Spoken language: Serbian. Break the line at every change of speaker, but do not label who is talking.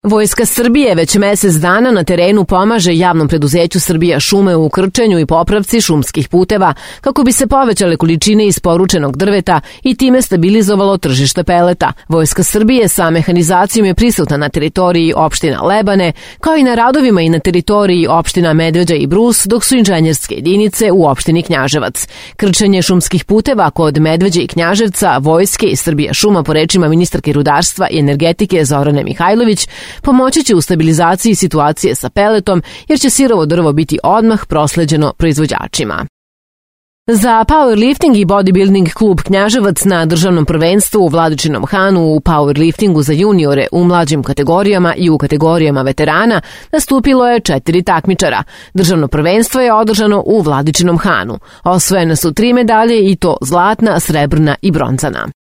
Vojska Srbije već mesec dana na terenu pomaže javnom preduzeću Srbija šume u krčenju i popravci šumskih puteva kako bi se povećale količine isporučenog drveta i time stabilizovalo tržište peleta. Vojska Srbije sa mehanizacijom je prisutna na teritoriji opština Lebane, kao i na radovima i na teritoriji opština Medveđa i Brus, dok su inženjerske jedinice u opštini Knjaževac. Krčenje šumskih puteva kod Medveđe i Knjaževca, Vojske i Srbija šuma, po rečima ministarke rudarstva i energetike Zorane Mihajlović, pomoći će u stabilizaciji situacije sa peletom, jer će sirovo drvo biti odmah prosleđeno proizvođačima. Za powerlifting i bodybuilding klub Knjaževac na državnom prvenstvu u Vladičinom Hanu u powerliftingu za juniore u mlađim kategorijama i u kategorijama veterana nastupilo je 4 takmičara. Državno prvenstvo je održano u Vladičinom Hanu. Osvojene su 3 medalje i to zlatna, srebrna i bronzana.